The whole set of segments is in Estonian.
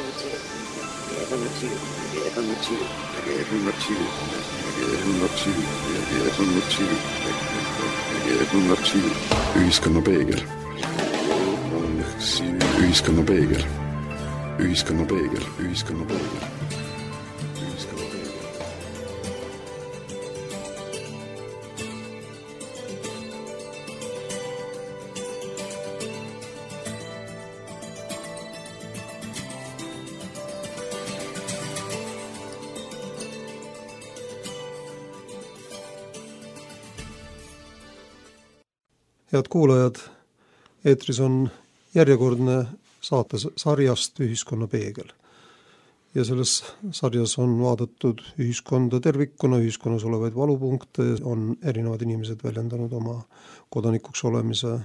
Ühiskonna peegel. Ühiskonna peegel. Ühiskonna peegel. Ühiskonna peegel. Head kuulajad, eetris on järjekordne saate sarjast Ühiskonna peegel. Ja selles sarjas on vaadatud ühiskonda tervikuna, ühiskonnas olevaid valupunkte, on erinevad inimesed väljendanud oma kodanikuks olemise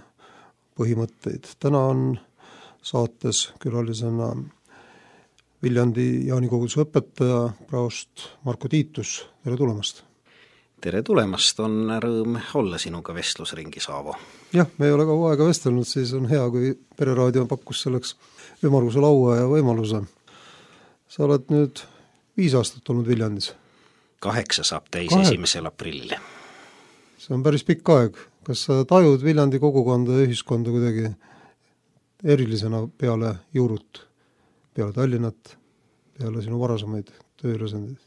põhimõtteid. Täna on saates külalisena Viljandi Jaanikooguduse õpetaja praost Marko Tiitus. Tere tulemast! Tere tulemast, on rõõm olla sinuga vestlusringi, Saavo. Jah, me ei ole kaua aega vestelnud, siis on hea, kui Pereraadio pakkus selleks ümmarguse laua ja võimaluse. Sa oled nüüd 5 aastat olnud Viljandis. 8 saab täis 1. aprillil. See on päris pikk aeg. Kas sa tajud Viljandi kogukonda ja ühiskonda kuidagi erilisena peale Juurut, peale Tallinnat, peale sinu varasemaid tööülesändeid?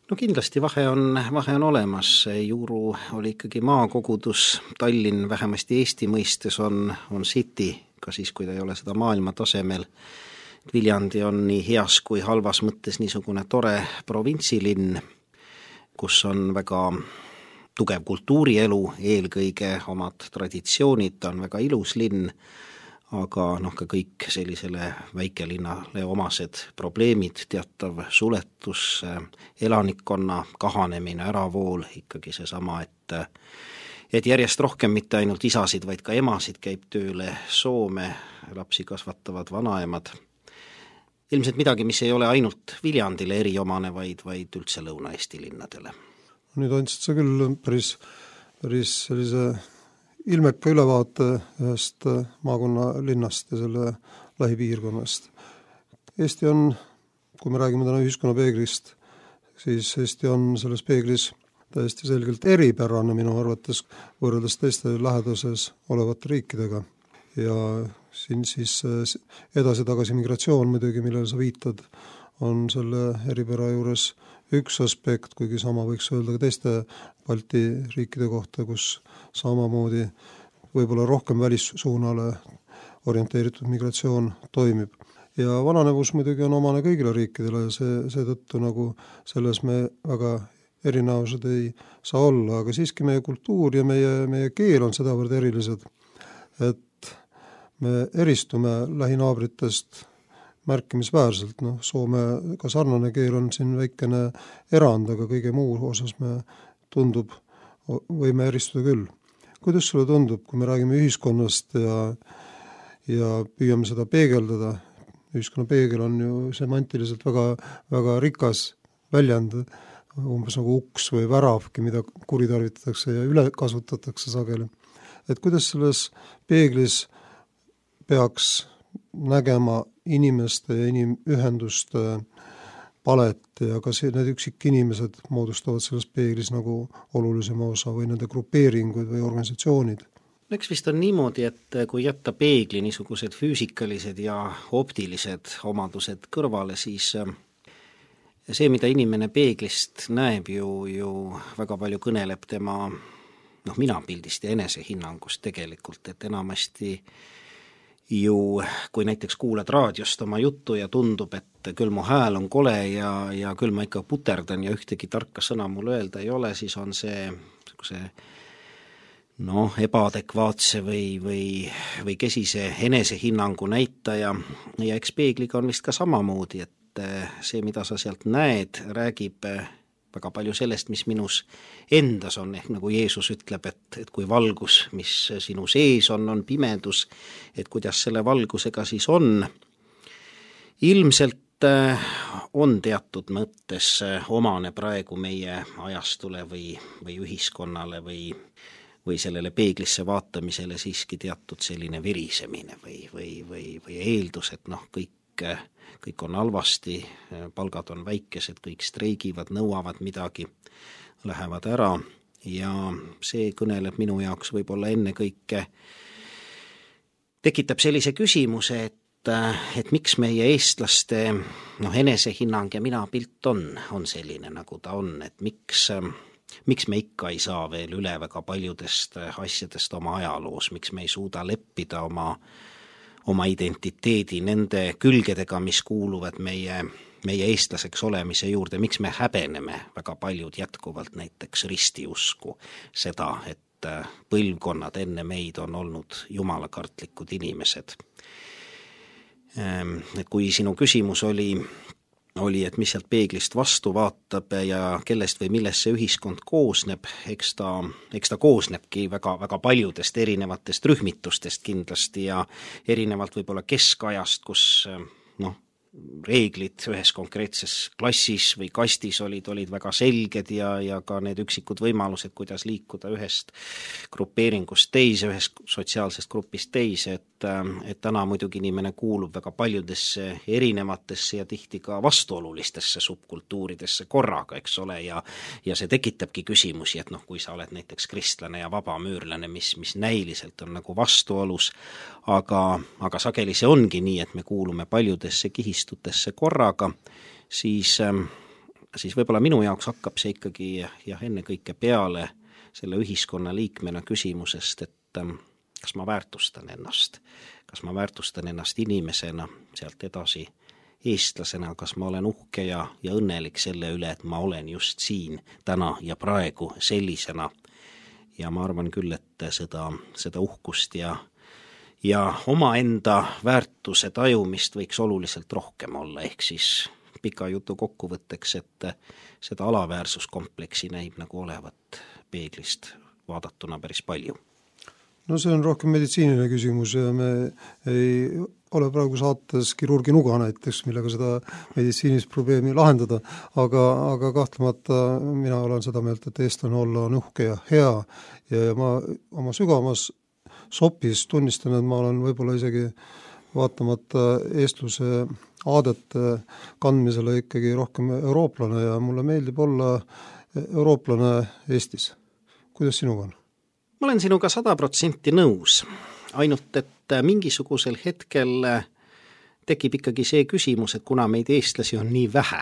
No kindlasti vahe on olemas. Juuru oli ikkagi maakogudus, Tallinn vähemasti Eesti mõistes on city, ka siis, kui ta ei ole seda maailma tasemel. Viljandi on nii heas kui halvas mõttes niisugune tore provintsilinn, kus on väga tugev kultuurielu, eelkõige omad traditsioonid, ta on väga ilus linn, aga ka kõik sellisele väikelinnale omased probleemid, teatav suletus, elanikkonna kahanemine, äravool, ikkagi seesama, et järjest rohkem mitte ainult isasid, vaid ka emasid käib tööle Soome, lapsi kasvatavad vanaemad. Ilmselt midagi, mis ei ole ainult Viljandile eriomane, vaid üldse Lõuna-Eesti linnadele. Nüüd andsid sa küll päris sellise ilmeka ülevaate ühest maakonna linnast ja selle lähipiirkonnast. Eesti on, kui me räägime täna ühiskonna peeglist, siis Eesti on selles peeglis täiesti selgelt eripärane minu arvates võrreldes teiste lähedases olevate riikidega. Ja siin siis edasi-tagasi migratsioon muidugi, millele sa viitad, on selle eripära juures üks aspekt, kuigi sama võiks öelda ka teiste Balti riikide kohta, kus samamoodi võib-olla rohkem välissuunale orienteeritud migratsioon toimib. Ja vananevus muidugi on omane kõigile riikidele ja seetõttu nagu selles me väga erinevused ei saa olla, aga siiski meie kultuur ja meie keel on sedavõrd erilised, et me eristume lähinaabritest märkimisväärselt. Soomega sarnane keel on siin väikene erand, aga kõige muu osas me tundub, võime eristuda küll. Kuidas sulle tundub, kui me räägime ühiskonnast ja püüame seda peegeldada? Ühiskonna peegel on ju semantiliselt väga rikas väljend, umbes nagu uks või väravki, mida kuritarvitatakse ja üle kasutatakse sageli. Et kuidas selles peeglis peaks nägema inimeste ja inimühenduste palet ja kas need üksikinimesed moodustavad selles peeglis nagu olulisema osa või nende grupeeringuid või organisatsioonid? Eks vist on niimoodi, et kui jätta peegli niisugused füüsikalised ja optilised omadused kõrvale, siis see, mida inimene peeglist näeb, ju väga palju kõneleb tema minapildist ja enesehinnangust tegelikult, et enamasti ju, kui näiteks kuuled raadiost oma juttu ja tundub, et küll mu hääl on kole ja küll ma ikka puterdan ja ühtegi tarka sõna mul öelda ei ole, siis on see ebaadekvaatse või kesise enesehinnangu näitaja ja eks peegliga on vist ka samamoodi, et see, mida sa sealt näed, räägib väga palju sellest, mis minus endas on, ehk nagu Jeesus ütleb, et kui valgus, mis sinu sees on pimedus, et kuidas selle valgusega siis on. Ilmselt on teatud mõttes omane praegu meie ajastule või ühiskonnale või sellele peeglisse vaatamisele siiski teatud selline virisemine või eeldus, et kõik kõik on halvasti, palgad on väikesed, kõik streigivad, nõuavad midagi, lähevad ära ja see kõneleb minu jaoks võib-olla ennekõike, tekitab sellise küsimuse, et miks meie eestlaste enesehinnang ja minapilt on selline, nagu ta on, et miks me ikka ei saa veel üle väga paljudest asjadest oma ajaloos, miks me ei suuda leppida oma identiteedi nende külgedega, mis kuuluvad meie eestlaseks olemise juurde, miks me häbeneme väga paljud jätkuvalt näiteks ristiusku seda, et põlvkonnad enne meid on olnud jumalakartlikud inimesed. Et kui sinu küsimus oli, et mis sealt peeglist vastu vaatab ja kellest või millest see ühiskond koosneb, eks ta koosnebki väga, väga paljudest erinevatest rühmitustest kindlasti ja erinevalt võib-olla keskajast, kus reeglid ühes konkreetses klassis või kastis olid väga selged ja ka need üksikud võimalused, kuidas liikuda ühest grupeeringust teise, ühest sotsiaalsest grupist teise, et täna muidugi inimene kuulub väga paljudesse erinevatesse ja tihti ka vastuolulistesse subkultuuridesse korraga, eks ole, ja see tekitabki küsimusi, et kui sa oled näiteks kristlane ja vabamüürlane, mis näiliselt on nagu vastuolus, aga sageli see ongi nii, et me kuulume paljudesse kihistutesse korraga, siis võib-olla minu jaoks hakkab see ikkagi ennekõike peale selle ühiskonna liikmena küsimusest, et kas ma väärtustan ennast inimesena, sealt edasi eestlasena, kas ma olen uhke ja õnnelik selle üle, et ma olen just siin täna ja praegu sellisena. Ja ma arvan küll, et seda uhkust ja omaenda väärtuse tajumist võiks oluliselt rohkem olla, ehk siis pika jutu kokkuvõtteks, et seda alaväärsuskompleksi näib nagu olevat peeglist vaadatuna päris palju. No see on rohkem meditsiiniline küsimus ja me ei ole praegu saates kirurgi nuga näiteks, millega seda meditsiinist probleemi lahendada, aga kahtlemata mina olen seda meelt, et eestlane olla on uhke ja hea ja ma oma sügavamas sopis tunnistan, et ma olen võib-olla isegi vaatamata eestluse aadete kandmisele ikkagi rohkem eurooplane ja mulle meeldib olla eurooplane Eestis. Kuidas sinuga on? Ma olen sinuga 100% nõus, ainult et mingisugusel hetkel tekib ikkagi see küsimus, et kuna meid eestlasi on nii vähe,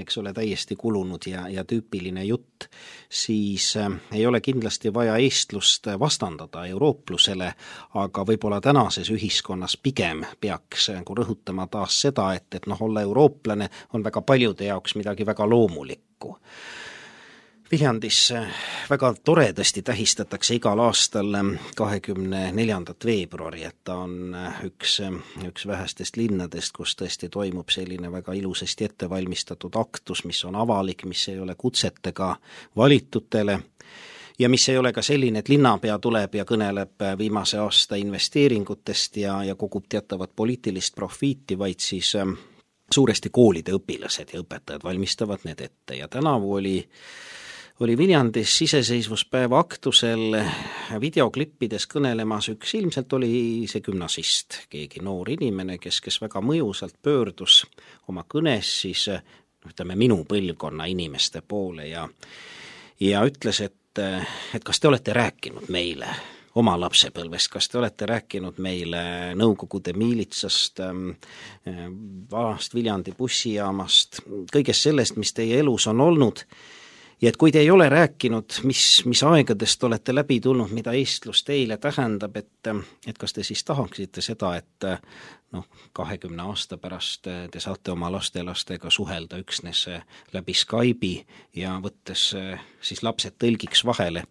eks ole, täiesti kulunud ja tüüpiline jutt, siis ei ole kindlasti vaja eestlust vastandada eurooplusele, aga võib-olla tänases ühiskonnas pigem peaks rõhutama taas seda, et olla eurooplane on väga paljude jaoks midagi väga loomulikku. Viljandis väga toredasti tähistatakse igal aastal 24. veebruari, et ta on üks vähestest linnadest, kus tõesti toimub selline väga ilusasti ettevalmistatud aktus, mis on avalik, mis ei ole kutsetega valitutele ja mis ei ole ka selline, et linnapea tuleb ja kõneleb viimase aasta investeeringutest ja kogub teatavat poliitilist profiiti, vaid siis suuresti koolide õpilased ja õpetajad valmistavad need ette ja tänavu oli Viljandis iseseisvuspäeva aktusel videoklippides kõnelemas üks, ilmselt oli see gümnasist, keegi noor inimene, kes väga mõjusalt pöördus oma kõnes siis, minu põlvkonna inimeste poole ja ütles, et kas te olete rääkinud meile oma lapsepõlvest, kas te olete rääkinud meile Nõukogude miilitsast, vanast Viljandi bussijaamast, kõigest sellest, mis teie elus on olnud. Ja et kui te ei ole rääkinud, mis aegadest olete läbi tulnud, mida eestlus teile tähendab, et kas te siis tahaksite seda, et 20 aasta pärast te saate oma lastelastega suhelda üksnes läbi Skype'i ja võttes siis lapsed tõlgiks vahele.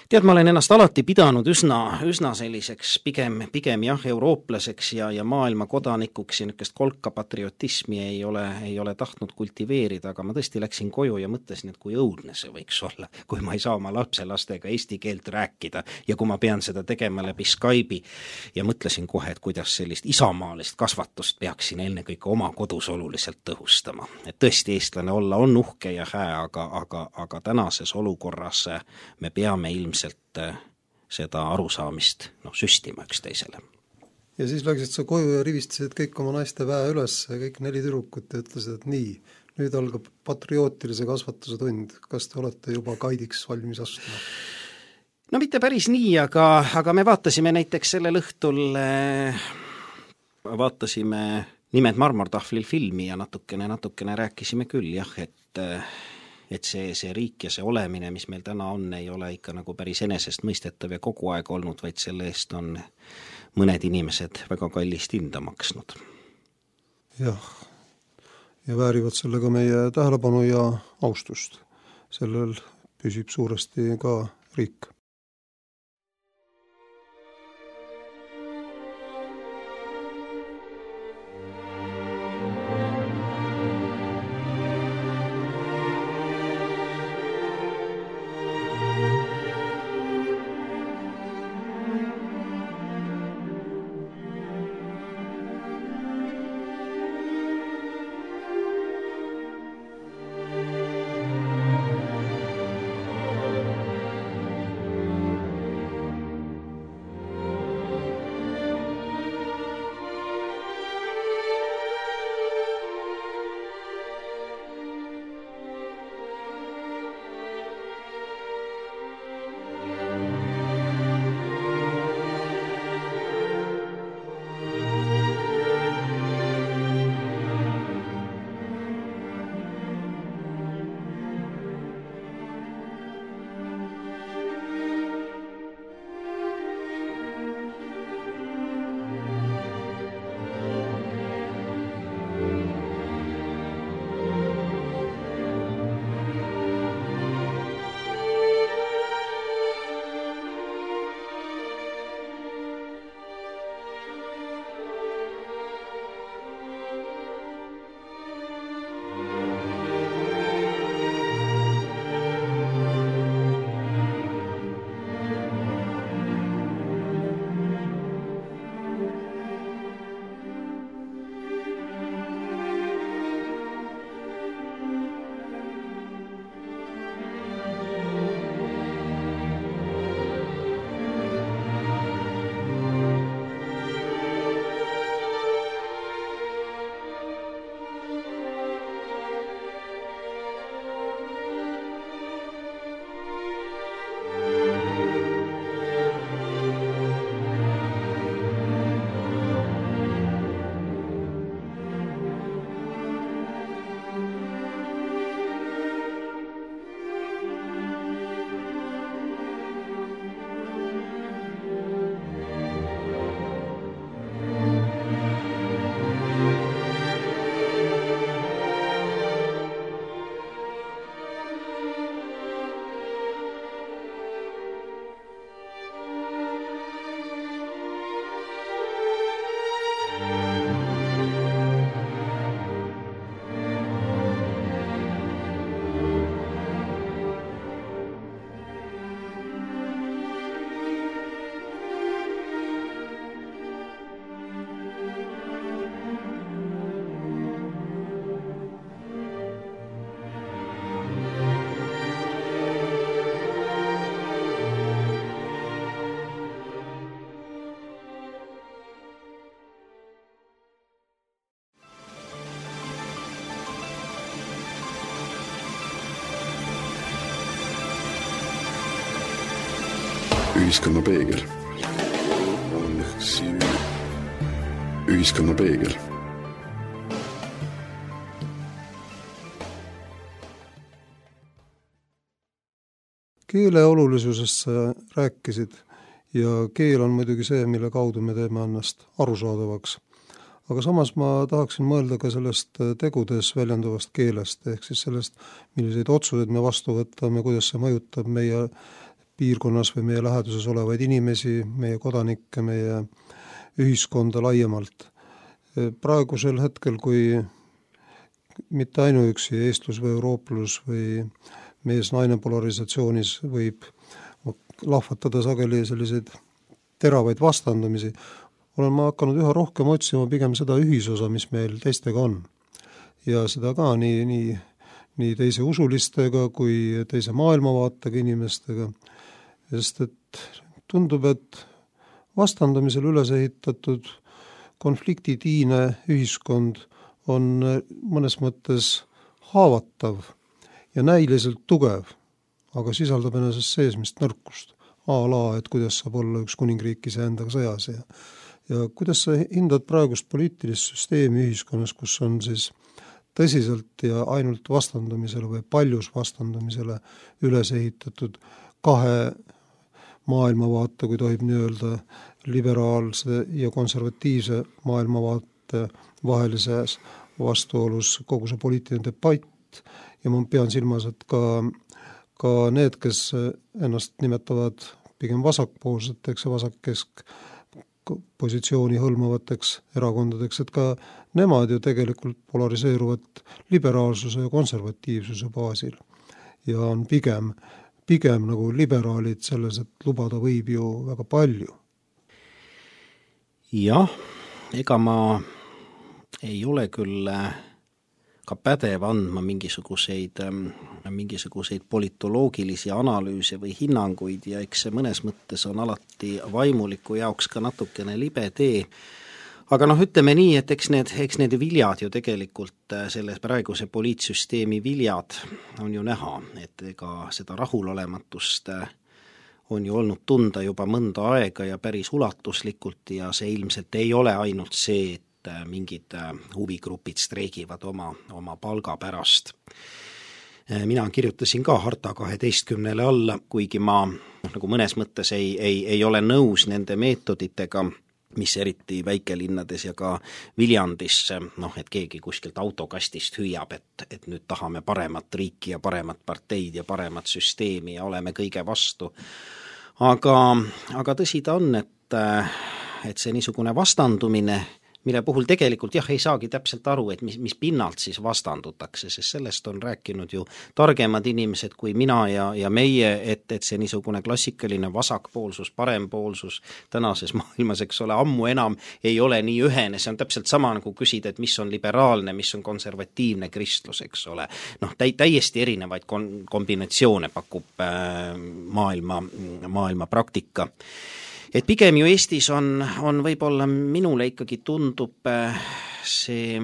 Tead, ma olen ennast alati pidanud üsna selliseks pigem eurooplaseks ja maailma kodanikuks ja niisugust kolka patriotismi ei ole tahtnud kultiveerida, aga ma tõesti läksin koju ja mõtlesin, et kui õudne see võiks olla, kui ma ei saa oma lapselastega eesti keelt rääkida ja kui ma pean seda tegema läbi Skype'i ja mõtlesin kohe, et kuidas sellist isamaalist kasvatust peaksin ennekõike oma kodus oluliselt tõhustama. Et tõesti eestlane olla on uhke ja hää, aga tänases olukorras me peame ilmselt seda arusaamist süstima üksteisele. ja siis läksid sa koju ja rivistasid kõik oma naiste väe üles ja kõik 4 tüdrukut ja ütlesid, et nii, nüüd algab patriootilise kasvatuse tund. Kas te olete juba kaidiks valmis astuma? No mitte päris nii, aga me vaatasime näiteks sellel õhtul, vaatasime Nimed marmortahvlil filmi ja natukene rääkisime küll jah, et see riik ja see olemine, mis meil täna on, ei ole ikka nagu päris enesest mõistetav ja kogu aeg olnud, vaid selle eest on mõned inimesed väga kallist hinda maksnud. Jah, ja väärivad sellega meie tähelepanu ja austust. Sellel püsib suuresti ka riik. Ühiskonna peegel. Ühiskonna peegel. Keele olulisusest sa rääkisid ja keel on muidugi see, mille kaudu me teeme ennast arusaadavaks. Aga samas ma tahaksin mõelda ka sellest tegudes väljenduvast keelest, ehk siis sellest, milliseid otsuseid me vastu võtame, kuidas see mõjutab meie piirkonnas või meie läheduses olevaid inimesi, meie kodanikke, meie ühiskonda laiemalt. Praegusel hetkel, kui mitte ainuüksi eestlus või eurooplus või mees-naine polarisatsioonis võib lahvatada sageli selliseid teravaid vastandumisi, olen ma hakanud üha rohkem otsima pigem seda ühisosa, mis meil teistega on. Ja seda ka nii teise usulistega kui teise maailmavaatega inimestega. Sest et tundub, et vastandamisel üles ehitatud konfliktitiine ühiskond on mõnes mõttes haavatav ja näiliselt tugev, aga sisaldab ennesest seesmist nõrkust. Et kuidas saab olla üks kuningriik iseendaga sõjas ja kuidas sa hindad praegust poliitilist süsteemi ühiskonnas, kus on siis tõsiselt ja ainult vastandamisele või paljus vastandamisele üles ehitatud kahe maailmavaate, kui tohib nii öelda, liberaalse ja konservatiivse maailmavaate vahelises vastuolus kogu see poliitiline debatt ja ma pean silmas, et ka need, kes ennast nimetavad pigem vasakpoolseteks ja vasakkesk positsiooni hõlmavateks erakondadeks, et ka nemad ju tegelikult polariseeruvad liberaalsuse ja konservatiivsuse baasil ja on pigem nagu liberaalid selles, et lubada võib ju väga palju. Jah, ega ma ei ole küll ka pädev andma mingisuguseid politoloogilisi analüüse või hinnanguid ja eks see mõnes mõttes on alati vaimuliku jaoks ka natukene libe tee. Aga ütleme nii, et eks need viljad ju tegelikult selles praeguse poliitsüsteemi viljad on ju näha, et ega seda rahulolematust on ju olnud tunda juba mõnda aega ja päris ulatuslikult ja see ilmselt ei ole ainult see, et mingid huvigrupid streigivad oma palga pärast. Mina kirjutasin ka Harta 12 alla, kuigi ma nagu mõnes mõttes ei ole nõus nende meetoditega, mis eriti väikelinnades ja ka Viljandis, et keegi kuskilt autokastist hüüab, et nüüd tahame paremat riiki ja paremat parteid ja paremat süsteemi ja oleme kõige vastu. Aga tõsi ta on, et see niisugune vastandumine, mille puhul tegelikult ei saagi täpselt aru, et mis pinnalt siis vastandutakse, sest sellest on rääkinud ju targemad inimesed kui mina ja meie, et see niisugune klassikaline vasakpoolsus, parempoolsus tänases maailmas, eks ole, ammu enam ei ole nii ühene, see on täpselt sama nagu küsida, et mis on liberaalne, mis on konservatiivne kristlus, eks ole. Täiesti erinevaid kombinatsioone pakub maailma praktika. Et pigem ju Eestis on võib-olla minule ikkagi tundub see,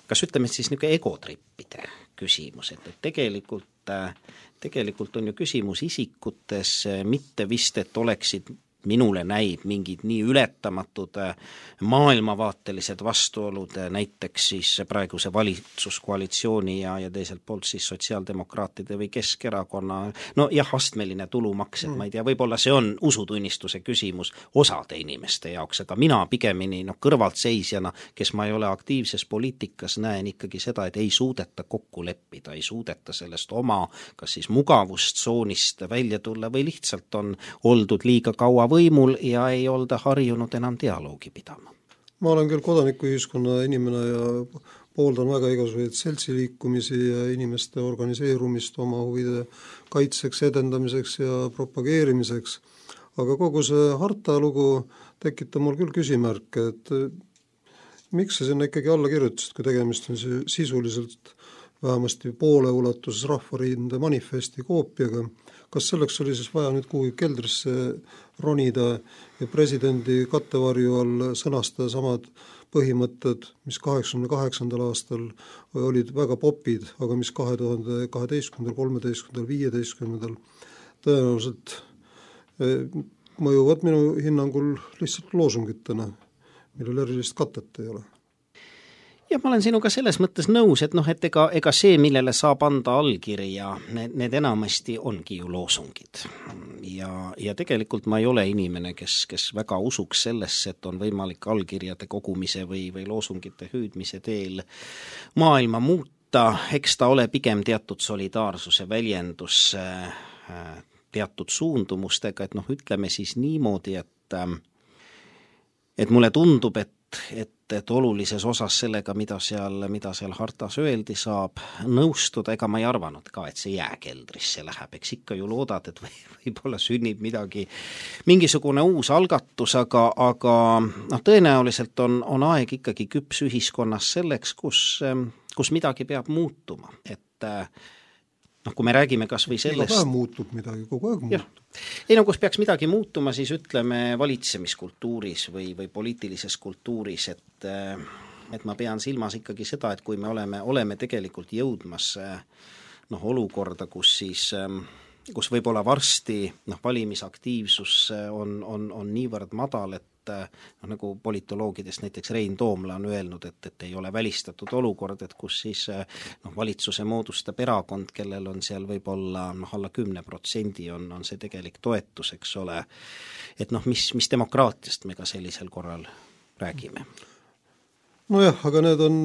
kas ütleme siis niisugune egotrippide küsimus, et tegelikult on ju küsimus isikutes, mitte vist, et oleksid minule näib mingid nii ületamatud maailmavaatelised vastuolud, näiteks siis praeguse valitsuskoalitsiooni ja teiselt poolt siis sotsiaaldemokraatide või Keskerakonna, astmeline tulumaks, et ma ei tea, võib-olla see on usutunnistuse küsimus osade inimeste jaoks, aga mina pigemini kõrvaltseisjana, kes ma ei ole aktiivses poliitikas, näen ikkagi seda, et ei suudeta kokku leppida, ei suudeta sellest oma kas siis mugavustsoonist välja tulla või lihtsalt on oldud liiga kaua võimul ja ei olda harjunud enam dialoogi pidama. Ma olen küll kodanikuühiskonna inimene ja pooldan väga igasuguseid seltsiliikumisi ja inimeste organiseerumist oma huvide kaitseks, edendamiseks ja propageerimiseks. Aga kogu see Harta lugu tekitab mul küll küsimärke, et miks sa sinna ikkagi alla kirjutasid, kui tegemist on sisuliselt vähemasti poole ulatuses Rahvarinde manifesti koopiaga. Kas selleks oli siis vaja nüüd kuhugi keldrisse ronida ja presidendi kattevarju all sõnastada samad põhimõtted, mis 88. aastal olid väga popid, aga mis 2012, 13, 15 tõenäoliselt mõjuvad minu hinnangul lihtsalt loosungitena, millel erilist katet ei ole. Ja ma olen sinuga selles mõttes nõus, et ega see, millele saab anda allkirja, need enamasti ongi ju loosungid. Ja tegelikult ma ei ole inimene, kes väga usuks sellesse, et on võimalik allkirjade kogumise või loosungite hüüdmise teel maailma muuta. Eks ta ole pigem teatud solidaarsuse väljendus teatud suundumustega, et ütleme siis niimoodi, et mulle tundub, et olulises osas sellega, mida seal Hartas öeldi, saab nõustuda, ega ma ei arvanud ka, et see jääkeldrisse läheb, eks ikka ju loodad, et võib-olla sünnib mingisugune uus algatus, aga tõenäoliselt on aeg ikkagi küps ühiskonnas selleks, kus midagi peab muutuma, et kui me räägime kas või sellest... Iga päev muutub midagi, kogu aeg muutub. Ei, kus peaks midagi muutuma, siis ütleme valitsemiskultuuris või poliitilises kultuuris, et ma pean silmas ikkagi seda, et kui me oleme tegelikult jõudmas olukorda, kus võib-olla varsti valimisaktiivsus on niivõrd madal, et nagu politoloogidest näiteks Rein Toomla on öelnud, et ei ole välistatud olukord, et kus siis valitsuse moodustab erakond, kellel on seal võib-olla alla 10% on see tegelik toetus, eks ole, et mis demokraatiast me ka sellisel korral räägime. Nojah, aga need on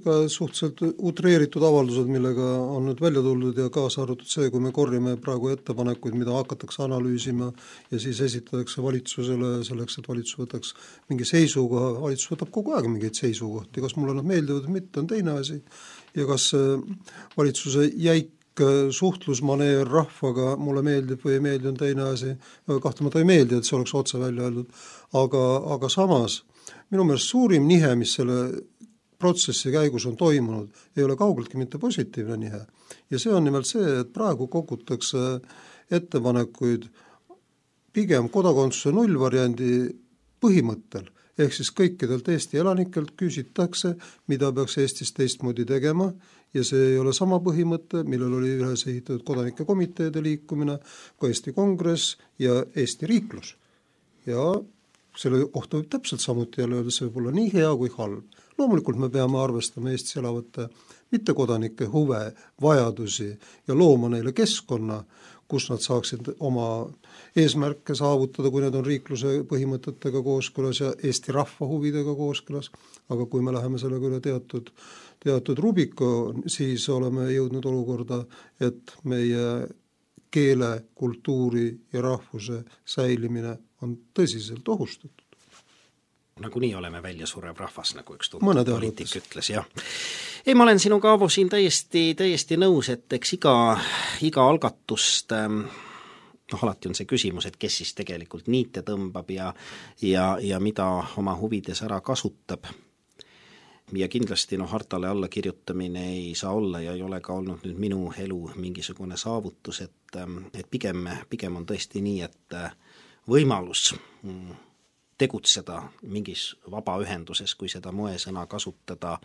ka suhteliselt utreeritud avaldused, millega on nüüd välja tuldud ja kaasa arvatud see, kui me korjame praegu ettepanekuid, mida hakatakse analüüsima ja siis esitatakse valitsusele selleks, et valitsus võtaks mingi seisukoha, valitsus võtab kogu aeg mingeid seisukohti, kas mulle nad meeldivad või mitte, on teine asi. Ja kas valitsuse jäik suhtlusmaneer rahvaga mulle meeldib või ei meeldi, on teine asi, kahtlemata ei meeldi, et see oleks otse välja öeldud, aga samas minu meelest suurim nihe, mis selle protsessi käigus on toimunud, ei ole kaugeltki mitte positiivne nihe. Ja see on nimelt see, et praegu kogutakse ettepanekuid pigem kodakondsuse nullvariandi põhimõttel, ehk siis kõikidelt Eesti elanikelt küsitakse, mida peaks Eestis teistmoodi tegema, ja see ei ole sama põhimõte, millel oli ühes ehitatud kodanike komiteede liikumine, ka Eesti Kongress ja Eesti riiklus. Ja selle kohta võib täpselt samuti jälle öelda, see võib olla nii hea kui halb. Loomulikult me peame arvestama Eestis elavate mittekodanike huve, vajadusi ja looma neile keskkonna, kus nad saaksid oma eesmärke saavutada, kui need on riikluse põhimõtetega kooskõlas ja Eesti rahva huvidega kooskõlas. Aga kui me läheme sellega üle teatud rubiko, siis oleme jõudnud olukorda, et meie keele, kultuuri ja rahvuse säilimine on tõsiselt ohustatud. Nagu nii oleme väljasurev rahvas, nagu üks tuntud poliitik ütles, jah. Ei, ma olen sinuga, Aavo, siin täiesti nõus, et eks iga algatust, alati on see küsimus, et kes siis tegelikult niite tõmbab ja mida oma huvides ära kasutab. Ja kindlasti hartale alla kirjutamine ei saa olla ja ei ole ka olnud nüüd minu elu mingisugune saavutus, et pigem on tõesti nii, et võimalus tegutseda mingis vabaühenduses, kui seda moesõna kasutada,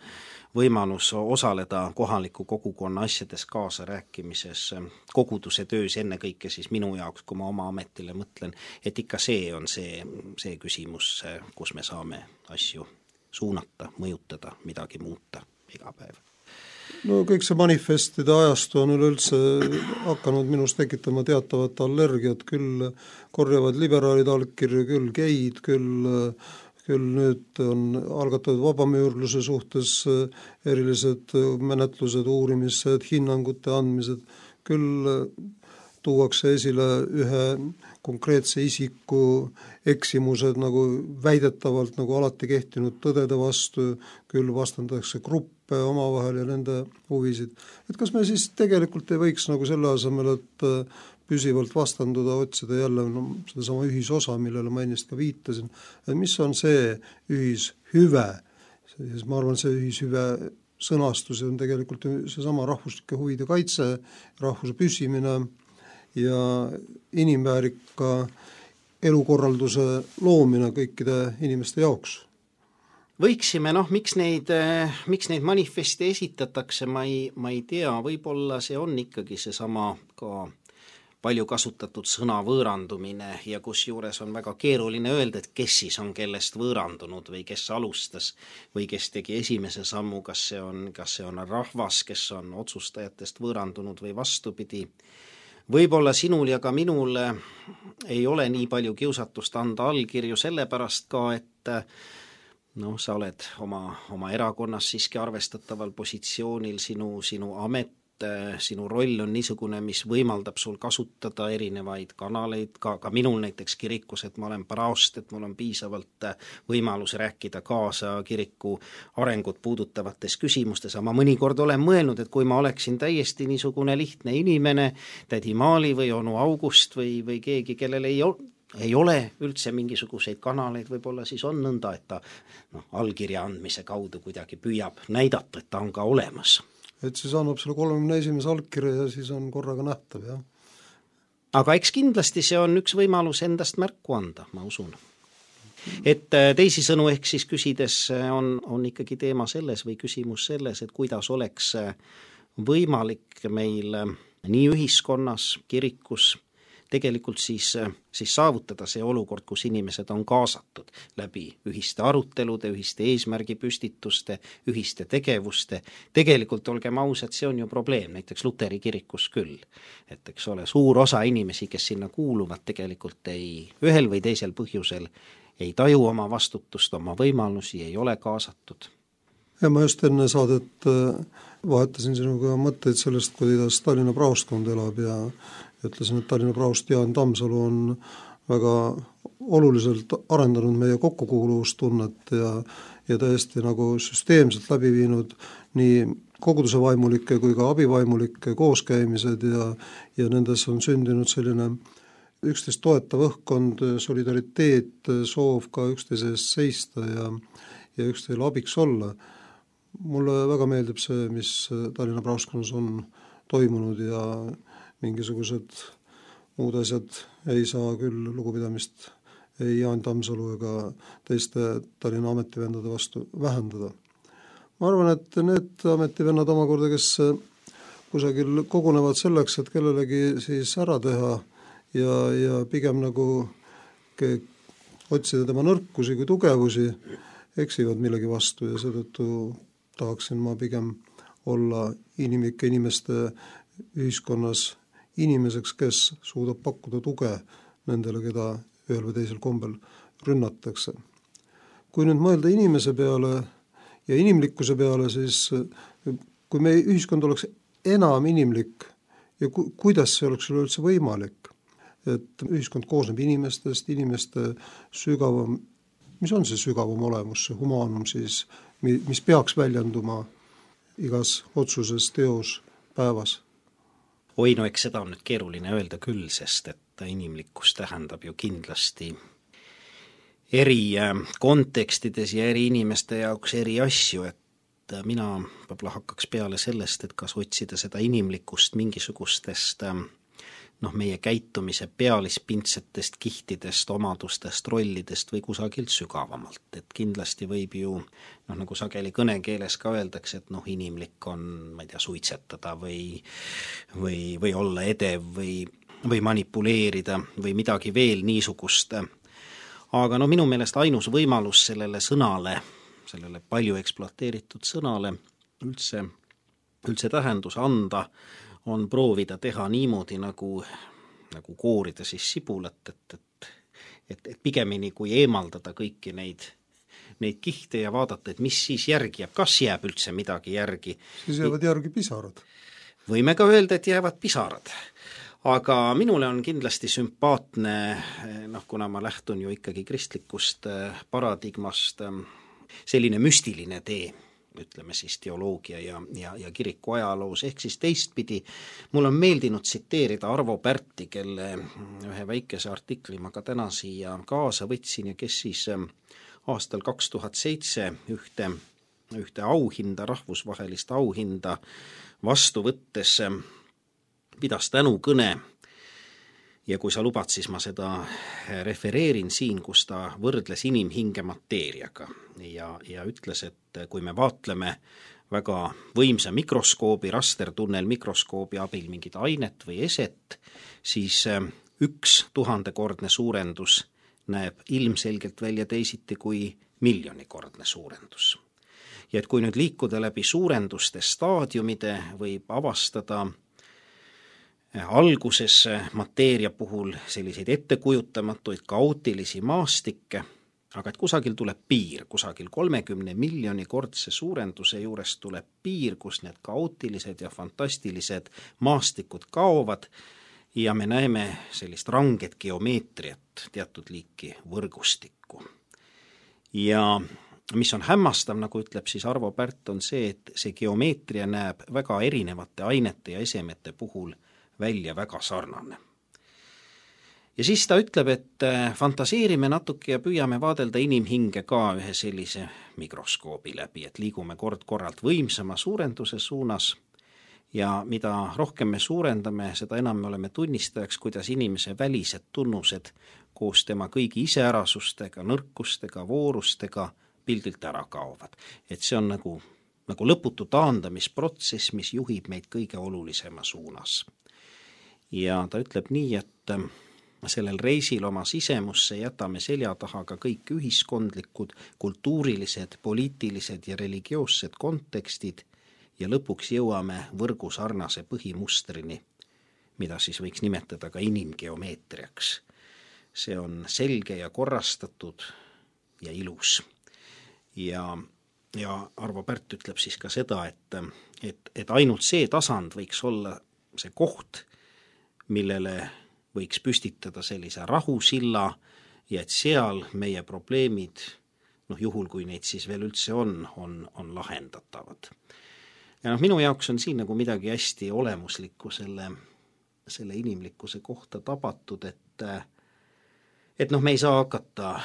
võimalus osaleda kohaliku kogukonna asjades kaasa rääkimises, koguduse töös ennekõike siis minu jaoks, kui ma oma ametile mõtlen, et ikka see on see küsimus, kus me saame asju suunata, mõjutada, midagi muuta iga päev. No kõik see manifestide ajastu on üleüldse hakanud minus tekitama teatavat allergiat, küll korjavad liberaalid allkirju, küll geid, küll nüüd on algatatud vabamüürluse suhtes erilised menetlused, uurimised, hinnangute andmised, küll tuuakse esile ühe konkreetse isiku eksimused nagu väidetavalt nagu alati kehtinud tõdede vastu, küll vastandatakse gruppe omavahel ja nende huvisid. Et kas me siis tegelikult ei võiks nagu selle asemel, et püsivalt vastanduda, otsida jälle seda sama ühisosa, millele ma ennist ka viitasin, et mis on see ühishüve? Ma arvan, see ühishüve sõnastus on tegelikult see sama rahvuslike huvide kaitse, rahvuse püsimine ja inimväärika elukorralduse loomine kõikide inimeste jaoks. Võiksime, miks neid manifeste esitatakse, ma ei tea, võib-olla see on ikkagi see sama ka palju kasutatud sõna võõrandumine ja kus juures on väga keeruline öelda, et kes siis on kellest võõrandunud või kes alustas või kes tegi esimese sammu, kas see on rahvas, kes on otsustajatest võõrandunud või vastupidi. Võib-olla sinul ja ka minul ei ole nii palju kiusatust anda allkirju sellepärast ka, et sa oled oma erakonnas siiski arvestataval positsioonil, sinu amet, sinu roll on niisugune, mis võimaldab sul kasutada erinevaid kanaleid, ka minul näiteks kirikus, et ma olen paraost, et mul on piisavalt võimalus rääkida kaasa kiriku arengut puudutavates küsimustes, aga ma mõnikord olen mõelnud, et kui ma oleksin täiesti niisugune lihtne inimene, tädi Maali või onu August või keegi, kellel ei ole üldse mingisuguseid kanaleid, võib-olla siis on nõnda, et ta allkirja andmise kaudu kuidagi püüab näidata, et ta on ka olemas. et siis annab selle 31. allkirja ja siis on korraga nähtav, jah. Aga eks kindlasti see on üks võimalus endast märku anda, ma usun. Et teisisõnu ehk siis küsides on ikkagi teema selles või küsimus selles, et kuidas oleks võimalik meil nii ühiskonnas, kirikus, tegelikult siis saavutada see olukord, kus inimesed on kaasatud läbi ühiste arutelude, ühiste eesmärgipüstituste, ühiste tegevuste. Tegelikult olgem ausad, see on ju probleem, näiteks Luteri kirikus küll. Et eks ole, suur osa inimesi, kes sinna kuuluvad, tegelikult ühel või teisel põhjusel ei taju oma vastutust, oma võimalusi, ei ole kaasatud. Ja ma just enne saadet vahetasin sinuga mõtteid sellest, kuidas Tallinna praostkond elab ja ütlesin, et Tallinna praost Jaan Tammsalu on väga oluliselt arendanud meie kokkukuuluvustunnet ja täiesti nagu süsteemselt läbi viinud nii koguduse vaimulike kui ka abivaimulike kooskäimised ja nendes on sündinud selline üksteist toetav õhkkond, solidariteet, soov ka üksteise eest seista ja üksteisele abiks olla. Mulle väga meeldib see, mis Tallinna praostkonnas on toimunud ja mingisugused muud asjad ei saa küll lugupidamist ei Jaan Tammsalu ega teiste Tallinna ametivendade vastu vähendada. Ma arvan, et need ametivennad omakorda, kes kusagil kogunevad selleks, et kellelegi siis ära teha ja pigem nagu otsida tema nõrkusi kui tugevusi, eksivad millegi vastu ja seetõttu tahaksin ma pigem olla inimlike inimeste ühiskonnas inimeseks, kes suudab pakkuda tuge nendele, keda ühel või teisel kombel rünnatakse. Kui nüüd mõelda inimese peale ja inimlikkuse peale, siis kui meie ühiskond oleks enam inimlik ja kuidas see oleks üldse võimalik, et ühiskond koosneb inimestest, inimeste sügavam, mis on see sügavam olemus, see humaanum siis, mis peaks väljenduma igas otsuses, teos, päevas? Oi, no eks seda on nüüd keeruline öelda küll, sest et inimlikkus tähendab ju kindlasti eri kontekstides ja eri inimeste jaoks eri asju, et mina võib-olla hakkaks peale sellest, et kas otsida seda inimlikkust mingisugustest meie käitumise pealispintsetest, kihtidest, omadustest, rollidest või kusagilt sügavamalt. Et kindlasti võib ju, nagu sageli kõnekeeles ka öeldakse, et inimlik on, ma ei tea, suitsetada või olla edev või manipuleerida või midagi veel niisugust. Aga minu meelest ainus võimalus sellele sõnale, sellele palju ekspluateeritud sõnale üldse tähendus anda, on proovida teha niimoodi, nagu koorida siis sibulat, et pigemini kui eemaldada kõiki neid kihte ja vaadata, et mis siis järgi jääb, kas jääb üldse midagi järgi. Siis jäävad järgi pisarad. Võime ka öelda, et jäävad pisarad. Aga minule on kindlasti sümpaatne, kuna ma lähtun ju ikkagi kristlikust paradigmast, selline müstiline tee, ütleme siis teoloogia ja kiriku ajaloos, ehk siis teistpidi. Mul on meeldinud tsiteerida Arvo Pärti, kelle ühe väikese artikli ma ka täna siia kaasa võtsin ja kes siis aastal 2007 ühte auhinda, rahvusvahelist auhinda vastu võttes pidas tänukõne. Ja kui sa lubad, siis ma seda refereerin siin, kus ta võrdles inimhinge mateeriaga ja ütles, et kui me vaatleme väga võimsa mikroskoobi, rastertunnel mikroskoobi abil mingit ainet või eset, siis 1000-kordne suurendus näeb ilmselgelt välja teisiti kui 1,000,000-kordne suurendus. Ja et kui nüüd liikuda läbi suurenduste staadiumide, võib avastada alguses mateeria puhul selliseid ettekujutamatuid kaootilisi maastikke, aga et kusagil tuleb piir, kusagil 30 miljoni kordse suurenduse juures tuleb piir, kus need kaootilised ja fantastilised maastikud kaovad ja me näeme sellist ranget geomeetriat, teatud liiki võrgustikku. Ja mis on hämmastav, nagu ütleb siis Arvo Pärt, on see, et see geomeetria näeb väga erinevate ainete ja esemete puhul välja väga sarnane. Ja siis ta ütleb, et fantaseerime natuke ja püüame vaadelda inimhinge ka ühe sellise mikroskoobi läbi, et liigume kord-korralt võimsama suurenduse suunas Ja mida rohkem me suurendame, seda enam me oleme tunnistajaks, kuidas inimese välised tunnused koos tema kõigi iseärasustega, nõrkustega, voorustega pildilt ära kaovad. Et see on nagu lõputu taandamisprotsess, mis juhib meid kõige olulisema suunas. Ja ta ütleb nii, et sellel reisil oma sisemusse jätame selja taha ka kõik ühiskondlikud, kultuurilised, poliitilised ja religioossed kontekstid ja lõpuks jõuame võrgusarnase põhimustrini, mida siis võiks nimetada ka inimgeomeetriaks. See on selge ja korrastatud ja ilus. Ja Arvo Pärt ütleb siis ka seda, et ainult see tasand võiks olla see koht, millele võiks püstitada sellise rahusilla ja et seal meie probleemid, juhul kui neid siis veel üldse on lahendatavad. Ja minu jaoks on siin nagu midagi hästi olemuslikku selle inimlikkuse kohta tabatud, et me ei saa hakata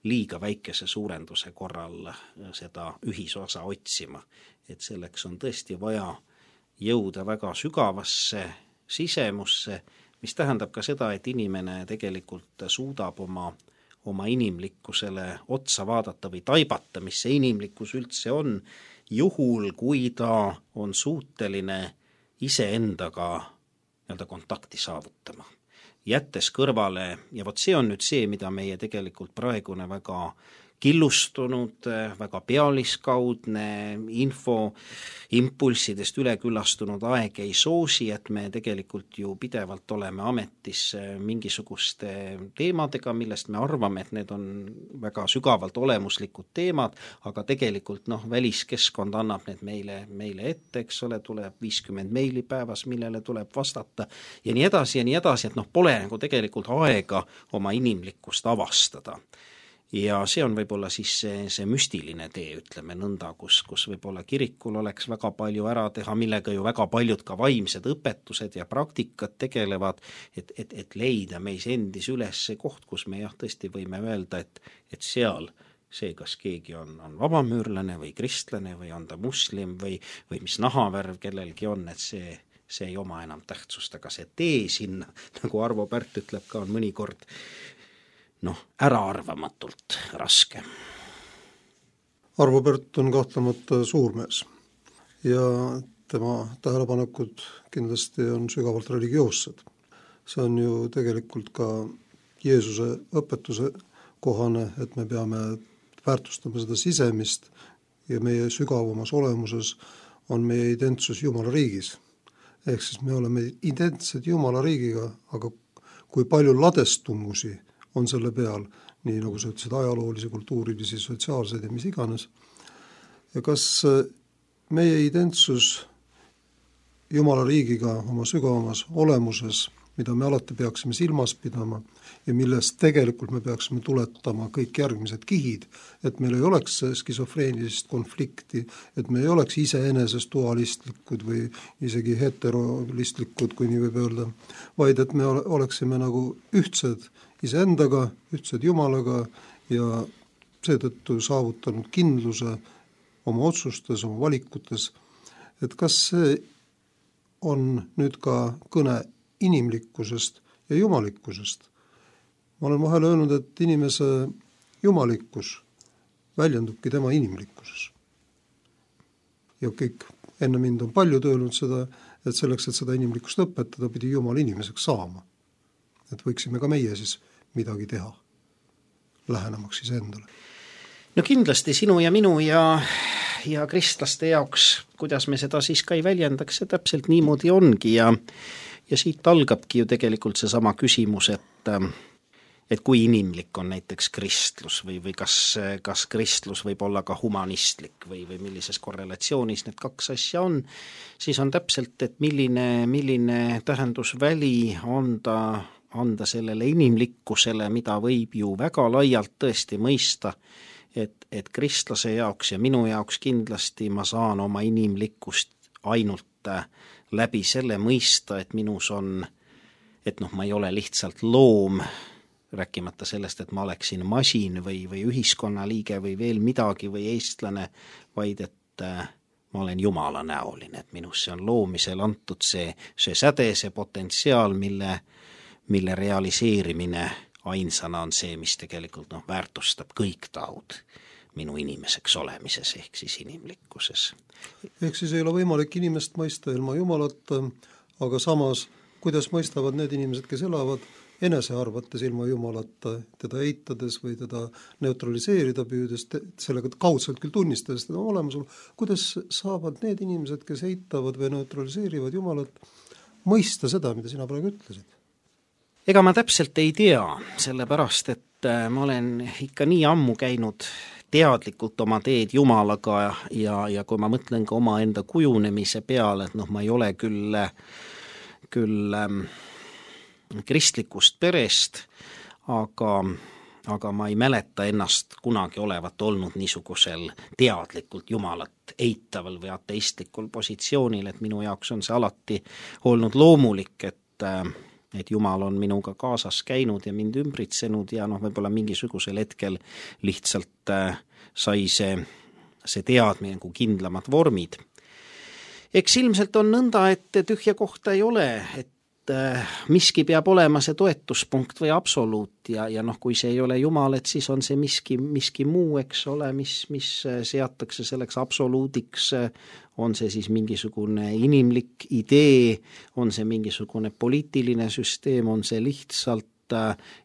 liiga väikese suurenduse korral seda ühisosa otsima, et selleks on tõesti vaja jõuda väga sügavasse sisemusse, mis tähendab ka seda, et inimene tegelikult suudab oma inimlikkusele otsa vaadata või taibata, mis see inimlikkus üldse on, juhul kui ta on suuteline iseendaga kontakti saavutama. Jättes kõrvale, ja vot see on nüüd see, mida meie tegelikult praegune väga killustunud, väga pealiskaudne info impulssidest üleküllastunud aeg ei soosi, et me tegelikult ju pidevalt oleme ametis mingisuguste teemadega, millest me arvame, et need on väga sügavalt olemuslikud teemad, aga tegelikult väliskeskkond annab need meile ette, eks ole, tuleb 50 meili päevas, millele tuleb vastata ja nii edasi, et pole nagu tegelikult aega oma inimlikkust avastada. Ja see on võib-olla siis see müstiline tee, ütleme nõnda, kus võib-olla kirikul oleks väga palju ära teha, millega ju väga paljud ka vaimsed õpetused ja praktikad tegelevad, et leida meis endis üles see koht, kus me tõesti võime öelda, et seal see, kas keegi on vabamüürlane või kristlane või on ta muslim või mis nahavärv kellelgi on, et see ei oma enam tähtsust, aga see tee sinna, nagu Arvo Pärt ütleb ka, on mõnikord äraarvamatult raske. Arvo Pärt on kahtlemata suurmees ja tema tähelepanekud kindlasti on sügavalt religioossed. See on ju tegelikult ka Jeesuse õpetuse kohane, et me peame väärtustama seda sisemist ja meie sügavamas olemuses on meie identsus Jumala riigis. Ehk siis me oleme identsed Jumala riigiga, aga kui palju ladestumusi on selle peal, nii nagu sa ütlesid, ajaloolisi, kultuurilisi, sotsiaalseid ja mis iganes. Ja kas meie identsus Jumala riigiga oma sügavamas olemuses, mida me alati peaksime silmas pidama ja millest tegelikult me peaksime tuletama kõik järgmised kihid, et meil ei oleks skisofreenilist konflikti, et me ei oleks iseenesest dualistlikud või isegi heterolistlikud, kui nii võib öelda, vaid et me oleksime nagu ühtsed iseendaga, ühtsed Jumalaga ja seetõttu saavutanud kindluse oma otsustes, oma valikutes, et kas see on nüüd ka kõne inimlikkusest ja jumalikkusest. Ma olen vahel öelnud, et inimese jumalikkus väljendubki tema inimlikkuses. Ja kõik enne mind on palju öelnud seda, et selleks, et seda inimlikkust õpetada, pidi Jumal inimeseks saama. Et võiksime ka meie siis midagi teha, lähenemaks siis endale. Kindlasti sinu ja minu ja kristlaste jaoks, kuidas me seda siis ka ei väljendaks, see täpselt niimoodi ongi ja siit algabki ju tegelikult see sama küsimus, et kui inimlik on näiteks kristlus või kas kristlus võib olla ka humanistlik või millises korrelatsioonis need kaks asja on, siis on täpselt, et milline tähendusväli anda sellele inimlikkusele, mida võib ju väga laialt tõesti mõista, et kristlase jaoks ja minu jaoks kindlasti ma saan oma inimlikkust ainult läbi selle mõista, et minus on, et ma ei ole lihtsalt loom, rääkimata sellest, et ma oleksin masin või ühiskonnaliige või veel midagi või eestlane, vaid et ma olen Jumala näoline, et minusse on loomisel antud see säde, see potentsiaal, mille realiseerimine ainsana on see, mis tegelikult väärtustab kõik tahud minu inimeseks olemises ehk siis inimlikkuses. Ehk siis ei ole võimalik inimest mõista ilma Jumalata, aga samas, kuidas mõistavad need inimesed, kes elavad enese arvates ilma Jumalata, teda eitades või teda neutraliseerida püüdes, sellega kaudselt küll tunnistades teda olemasolu, kuidas saavad need inimesed, kes eitavad või neutraliseerivad Jumalat, mõista seda, mida sina praegu ütlesid? Ega ma täpselt ei tea, sellepärast, et ma olen ikka nii ammu käinud teadlikult oma teed Jumalaga ja kui ma mõtlen ka oma enda kujunemise peale, et ma ei ole küll kristlikust perest, aga ma ei mäleta ennast kunagi olevat olnud niisugusel teadlikult Jumalat eitaval või ateistlikul positsioonil, et minu jaoks on see alati olnud loomulik, et Jumal on minuga kaasas käinud ja mind ümbritsenud ja võib-olla mingisugusel hetkel lihtsalt sai see teadmine kui kindlamad vormid. Eks ilmselt on nõnda, et tühja kohta ei ole, et miski peab olema see toetuspunkt või absoluut ja kui see ei ole Jumal, et siis on see miski muu, eks ole, mis seatakse selleks absoluudiks, on see siis mingisugune inimlik idee, on see mingisugune poliitiline süsteem, on see lihtsalt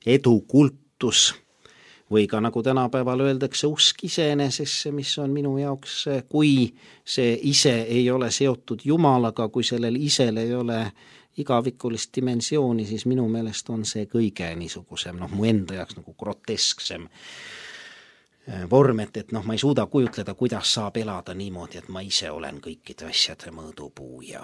edukultus või ka nagu tänapäeval öeldakse, usk iseenesesse, mis on minu jaoks, kui see ise ei ole seotud Jumalaga, kui sellel isel ei ole igavikulist dimensiooni, siis minu meelest on see kõige niisugusem, mu enda jaoks nagu grotesksem vorm, et ma ei suuda kujutleda, kuidas saab elada niimoodi, et ma ise olen kõikide asjade mõõdupuu ja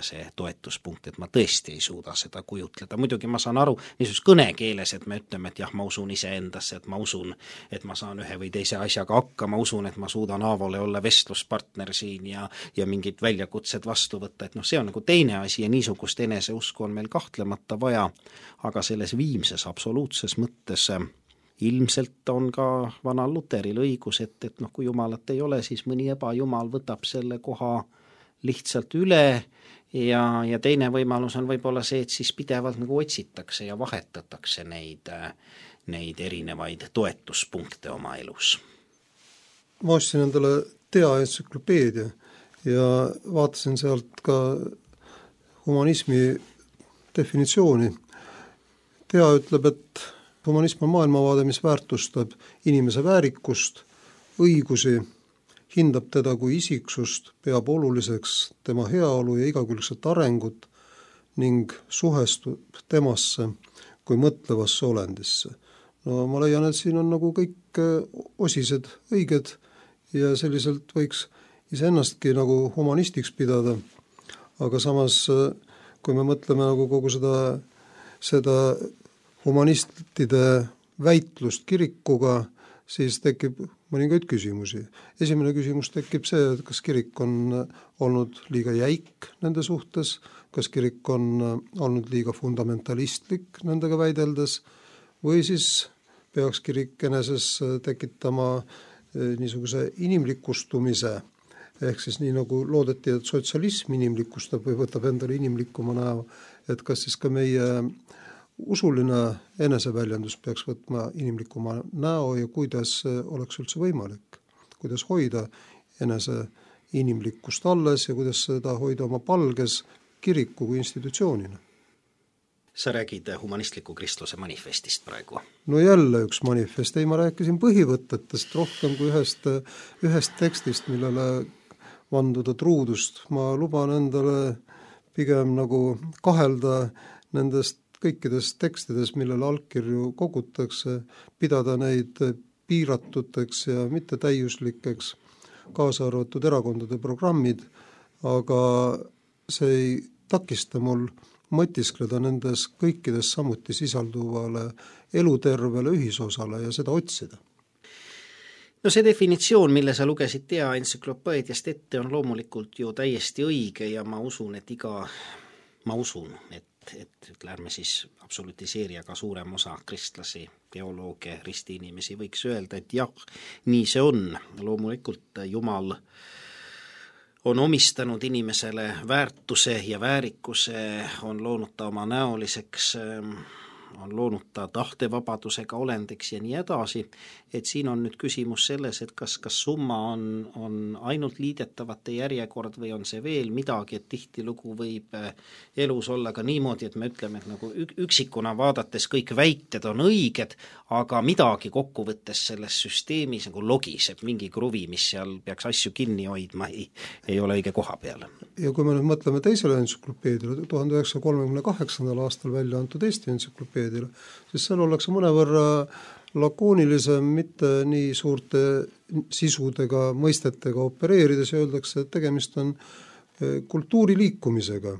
see toetuspunkt, et ma tõesti ei suuda seda kujutleda. Muidugi ma saan aru niisuguses kõnekeeles, et me ütleme, et jah, ma usun iseendasse, et ma usun, et ma saan ühe või teise asjaga hakka, ma usun, et ma suudan Aavole olla vestluspartner siin ja mingid väljakutsed vastu võtta, et see on nagu teine asi ja niisugust eneseusku on meil kahtlemata vaja, aga selles viimses absoluutses mõttes ilmselt on ka vanal Luteril õigus, et kui Jumalat ei ole, siis mõni ebajumal võtab selle koha lihtsalt üle ja teine võimalus on võib-olla see, et siis pidevalt nagu otsitakse ja vahetatakse neid erinevaid toetuspunkte oma elus. Ma ostsin endale Tea entsüklopeedia ja vaatasin sealt ka humanismi definitsiooni. Tea ütleb, et humanism on maailmavaade, mis väärtustab inimese väärikust, õigusi, hindab teda kui isiksust, peab oluliseks tema heaolu ja igakülgset arengut ning suhestub temasse kui mõtlevasse olendisse. Ma leian, et siin on nagu kõik osised õiged ja selliselt võiks iseennastki nagu humanistiks pidada, aga samas, kui me mõtleme nagu kogu seda humanistide väitlust kirikuga, siis tekib mõningaid küsimusi. Esimene küsimus tekib see, et kas kirik on olnud liiga jäik nende suhtes, kas kirik on olnud liiga fundamentalistlik nendega väideldes või siis peaks kirik eneses tekitama niisuguse inimlikustumise, ehk siis nii nagu loodeti, et sotsialism inimlikustab või võtab endale inimlikuma näo, et kas siis ka meie usuline eneseväljendus peaks võtma inimlikuma näo ja kuidas oleks üldse võimalik, kuidas hoida enese inimlikkust alles ja kuidas seda hoida oma palges kiriku kui institutsioonina. Sa räägid humanistliku kristluse manifestist praegu? No jälle üks manifest, ma rääkisin põhivõtetest rohkem kui ühest tekstist, millele vanduda truudust. Ma luban endale pigem nagu kahelda nendest kõikides tekstides, millele allkirju kogutakse, pidada neid piiratuteks ja mitte täiuslikeks, kaasa arvatud erakondade programmid, aga see ei takista mul mõtiskleda nendes kõikides samuti sisalduvale elutervele ühisosale ja seda otsida. No see definitsioon, mille sa lugesid Tea entsüklopeediast ette, on loomulikult ju täiesti õige ja ma usun, et et ärme siis absolutiseeri, aga suurem osa kristlasi, teolooge, ristiinimesi võiks öelda, et jah, nii see on. Loomulikult Jumal on omistanud inimesele väärtuse ja väärikuse, on loonud ta oma näoliseks, on loonud ta tahtevabadusega olendiks ja nii edasi, et siin on nüüd küsimus selles, et kas summa on ainult liidetavate järjekord või on see veel midagi, et tihtilugu võib elus olla ka niimoodi, et me ütleme, et nagu üksikuna vaadates kõik väited on õiged, aga midagi kokkuvõttes selles süsteemis nagu logiseb, mingi kruvi, mis seal peaks asju kinni hoidma, ei ole õige koha peal. Ja kui me nüüd mõtleme teisele entsüklopeediale, 1938. aastal välja antud Eesti entsüklopeediale, siis seal ollakse mõnevõrra lakoonilisem, mitte nii suurte sisudega, mõistetega opereerides ja öeldakse, et tegemist on kultuuriliikumisega,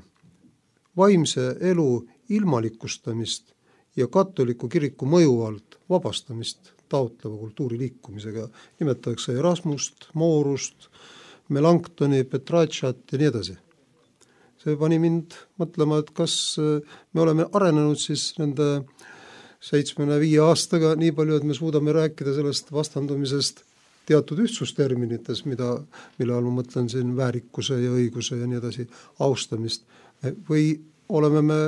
vaimse elu ilmalikustamist ja katoliku kiriku mõju alt vabastamist taotleva kultuuriliikumisega. Nimetatakse Erasmust, Moorust, Melanchtoni, Petrarchat ja nii edasi. See pani mind mõtlema, et kas me oleme arenenud siis nende 75 aastaga nii palju, et me suudame rääkida sellest vastandumisest teatud ühtsusterminites, mille all ma mõtlen siin väärikuse ja õiguse ja nii edasi austamist, või oleme me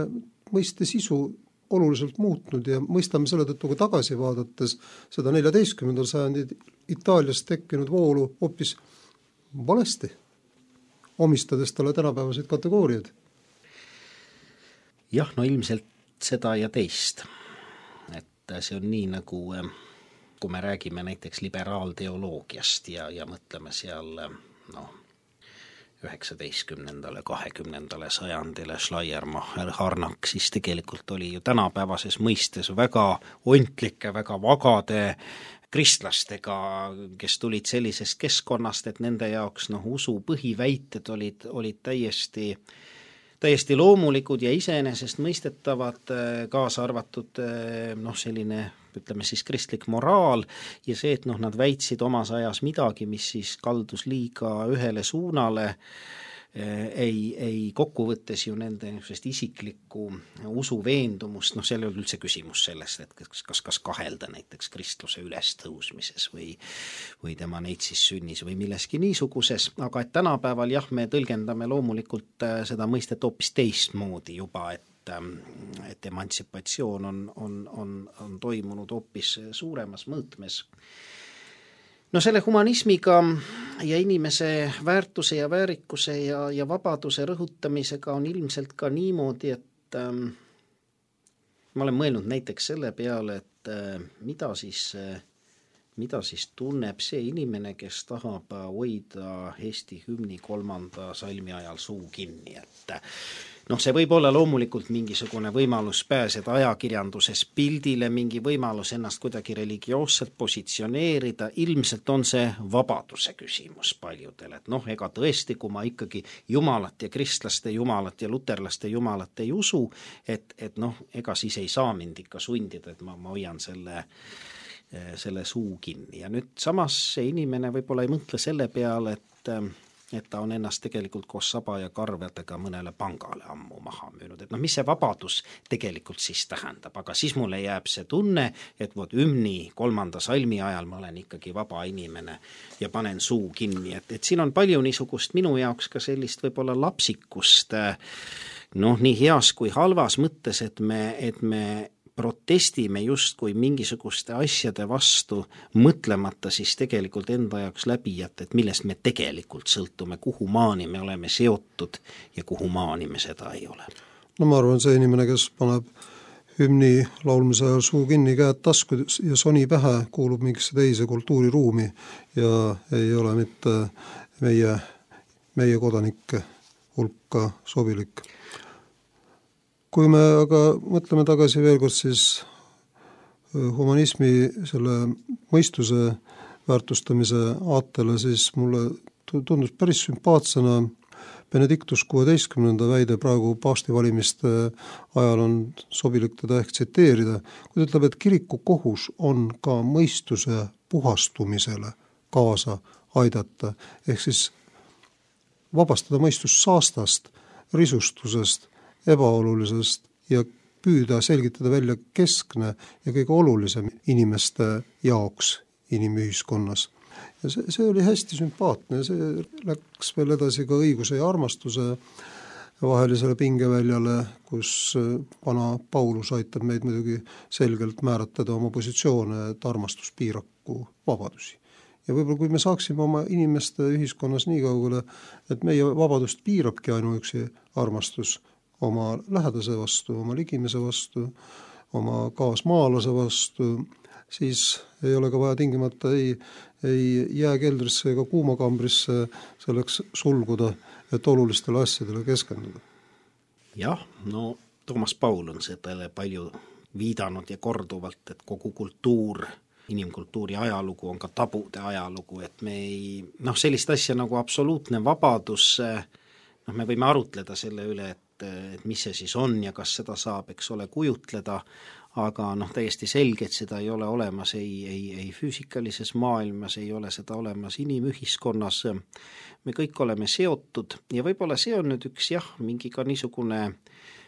mõiste sisu oluliselt muutnud ja mõistame selle tõttu ka tagasi vaadates seda 14. sajandi Itaalias tekkinud voolu hoopis valesti, omistades talle tänapäevaseid kategooriaid. Jah, no ilmselt seda ja teist. Et see on nii nagu, kui me räägime näiteks liberaalteoloogiast ja mõtleme seal 19. 20. sajandile Schleiermacher, Harnack, siis tegelikult oli ju tänapäevases mõistes väga ontlike, väga vagade kristlastega, kes tulid sellisest keskkonnast, et nende jaoks usu põhiväited olid täiesti loomulikud ja iseenesest mõistetavad, kaasa arvatud selline, ütleme siis kristlik moraal ja see, et nad väitsid omas ajas midagi, mis siis kaldus liiga ühele suunale, ei kokkuvõttes ju nende isiklikku usuveendumust, seal ei ole üldse küsimus sellest, et kas kahelda näiteks kristluse ülestõusmises või tema neitsis sünnis või milleski niisuguses, aga et tänapäeval jah, me tõlgendame loomulikult seda mõistet hoopis teistmoodi juba, et emantsipatsioon on toimunud hoopis suuremas mõõtmes. No selle humanismiga ja inimese väärtuse ja väärikuse ja vabaduse rõhutamisega on ilmselt ka niimoodi, et ma olen mõelnud näiteks selle peale, et mida siis tunneb see inimene, kes tahab hoida Eesti hümni 3. salmi ajal suu kinni, et see võib olla loomulikult mingisugune võimalus pääseda ajakirjanduses pildile, mingi võimalus ennast kuidagi religioosselt positsioneerida, ilmselt on see vabaduse küsimus paljudel, et ega tõesti, kui ma ikkagi jumalat ja kristlaste jumalat ja luterlaste jumalat ei usu, et ega siis ei saa mind ikka sundida, et ma hoian selle suu kinni. Ja nüüd samas see inimene võib-olla ei mõtle selle peale, et ta on ennast tegelikult koos saba ja karvedega mõnele pangale ammu maha müünud. Et mis see vabadus tegelikult siis tähendab, aga siis mulle jääb see tunne, et hümni 3. salmi ajal ma olen ikkagi vaba inimene ja panen suu kinni. Et siin on palju niisugust minu jaoks ka sellist võib-olla lapsikust, nii heas kui halvas mõttes, et me protestime justkui mingisuguste asjade vastu, mõtlemata siis tegelikult enda jaoks läbi, et millest me tegelikult sõltume, kuhu maani me oleme seotud ja kuhu maani me seda ei ole. No ma arvan, see inimene, kes paneb hümni laulmise ajal suu kinni, käed tasku ja soni pähe, kuulub mingisse teise kultuuriruumi ja ei ole mitte meie kodanike hulka sobilik. Kui me aga mõtleme tagasi veel kord siis humanismi selle mõistuse väärtustamise aatele, siis mulle tundus päris sümpaatsena Benedictus 16. väide praegu paastivalimiste ajal on sobilik teda ehk tsiteerida, kui ta ütleb, et kiriku kohus on ka mõistuse puhastumisele kaasa aidata, ehk siis vabastada mõistus saastast, risustusest, ebaolulisest ja püüda selgitada välja keskne ja kõige olulisem inimeste jaoks inimühiskonnas. Ja see oli hästi sümpaatne, see läks veel edasi ka õiguse ja armastuse vahelisele pingeväljale, kus vana Paulus aitab meid muidugi selgelt määratleda oma positsioone, et armastus piiraku vabadusi. Ja võib-olla kui me saaksime oma inimeste ühiskonnas nii kaugele, et meie vabadust piirabki ainuüksi armastus oma lähedase vastu, oma ligimese vastu, oma kaasmaalase vastu, siis ei ole ka vaja tingimata ei jääkeldrisse ega kuumakambrisse selleks sulguda, et olulistele asjadele keskenduda. Jah, no Toomas Paul on sellele palju viidanud ja korduvalt, et kogu kultuur, inimkultuuri ajalugu on ka tabude ajalugu, et me ei, sellist asja nagu absoluutne vabadus, me võime arutleda selle üle, et mis see siis on ja kas seda saab, eks ole, kujutleda, aga täiesti selge, et seda ei ole olemas ei füüsikalises maailmas, ei ole seda olemas inimühiskonnas. Me kõik oleme seotud ja võib-olla see on nüüd üks mingi ka niisugune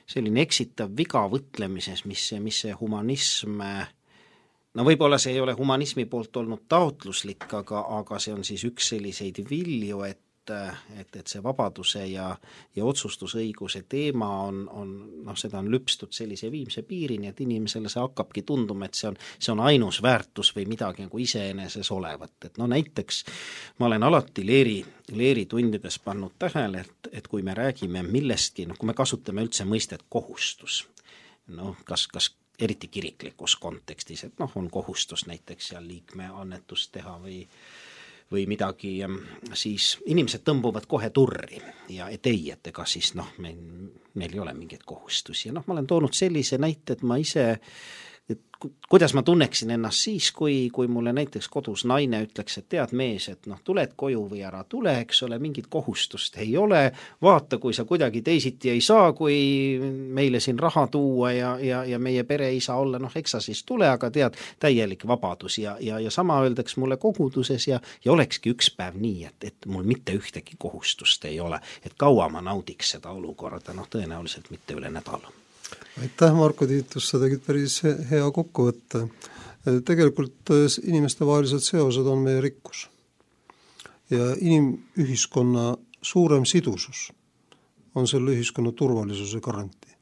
selline eksitav viga võtlemises, mis see humanism, võib-olla see ei ole humanismi poolt olnud taotluslik, aga see on siis üks selliseid vilju, et see vabaduse ja otsustusõiguse teema on seda on lüpstud sellise viimse piirini, et inimesele see hakkabki tunduma, et see on ainus väärtus või midagi nagu iseeneses olevat. Et näiteks ma olen alati leeritundides pannud tähele, et kui me räägime millestki, kui me kasutame üldse mõistet kohustus, kas eriti kiriklikus kontekstis, et on kohustus näiteks seal liikme annetust teha või midagi, siis inimesed tõmbuvad kohe turri ja et ega siis meil ei ole mingeid kohustusi. Ja ma olen toonud sellise näite, et ma ise, kuidas ma tunneksin ennast siis, kui mulle näiteks kodus naine ütleks, et tead mees, et tuled koju või ära tule, eks ole, mingit kohustust ei ole, vaata, kui sa kuidagi teisiti ei saa, kui meile siin raha tuua ja meie pere ei saa olla, eks sa siis tule, aga tead, täielik vabadus ja sama öeldaks mulle koguduses ja olekski üks päev nii, et mul mitte ühtegi kohustust ei ole, et kaua ma naudiks seda olukorda, tõenäoliselt mitte üle nädala. Aitäh, Marko Tiitus, sa tegid päris hea kokkuvõtte. Tegelikult inimeste vahelised seosed on meie rikkus ja inimühiskonna suurem sidusus on selle ühiskonna turvalisuse garantii.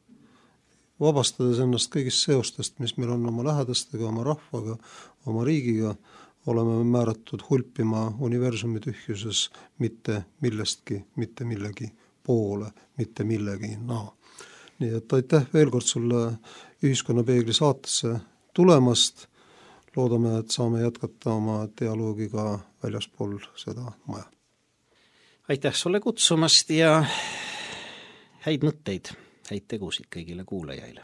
Vabastades ennast kõigist seostest, mis meil on oma lähedastega, oma rahvaga, oma riigiga, oleme määratud hulpima universumi tühjuses mitte millestki, mitte millegi poole, mitte millegi Nii et aitäh veel kord sulle Ühiskonnapeegli saatesse tulemast. Loodame, et saame jätkata oma dialoogiga väljaspool seda maja. Aitäh sulle kutsumast ja häid mõtteid, häid tegusid kõigile kuulajaile.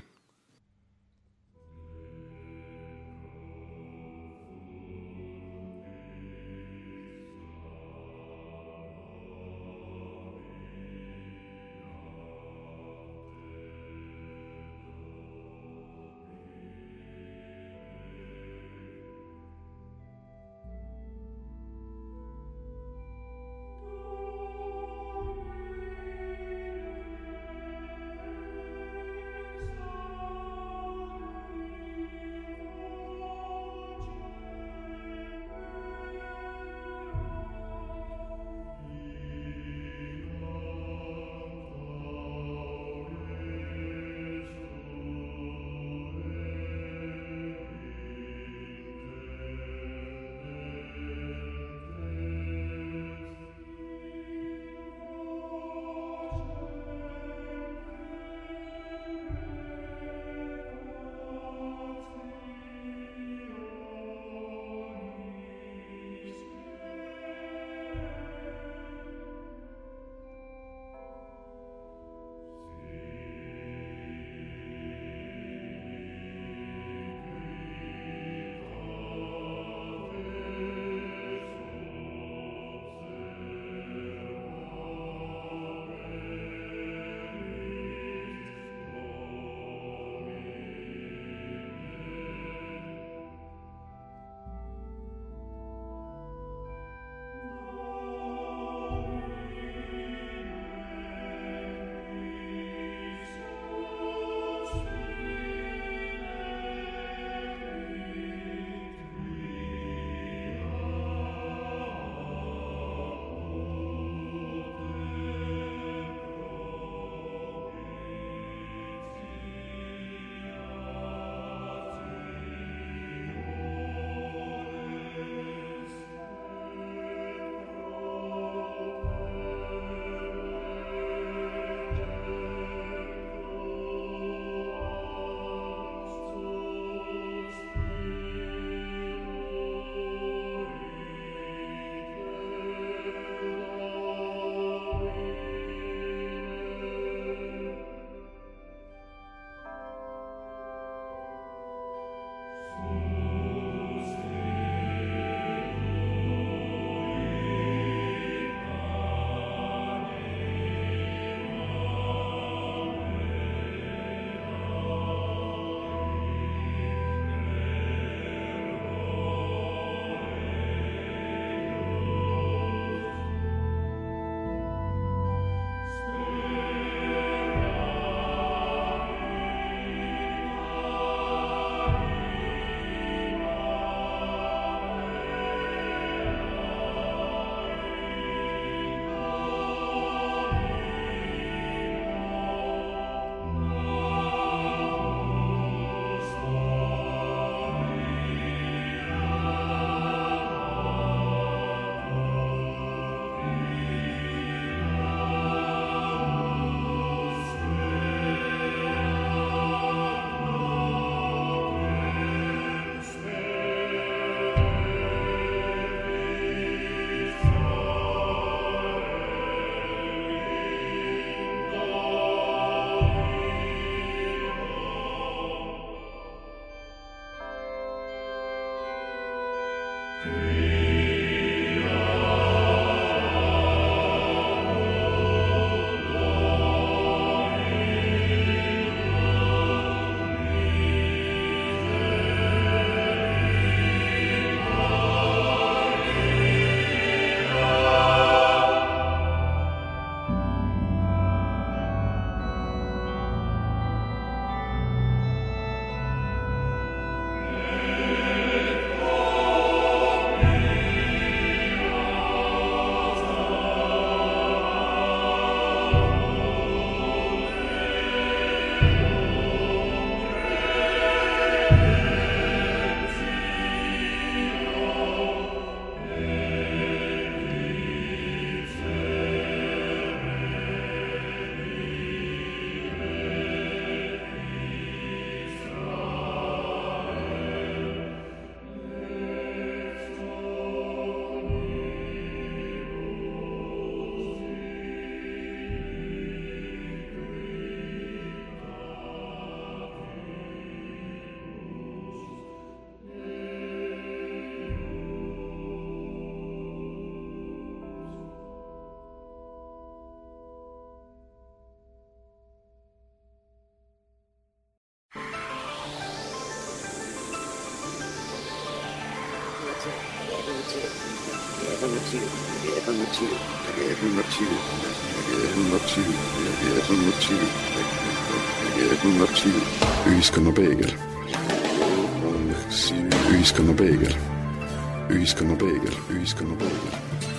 Ühiskonna peegel. Ühiskonna peegel. Ühiskonna peegel. Ühiskonna peegel.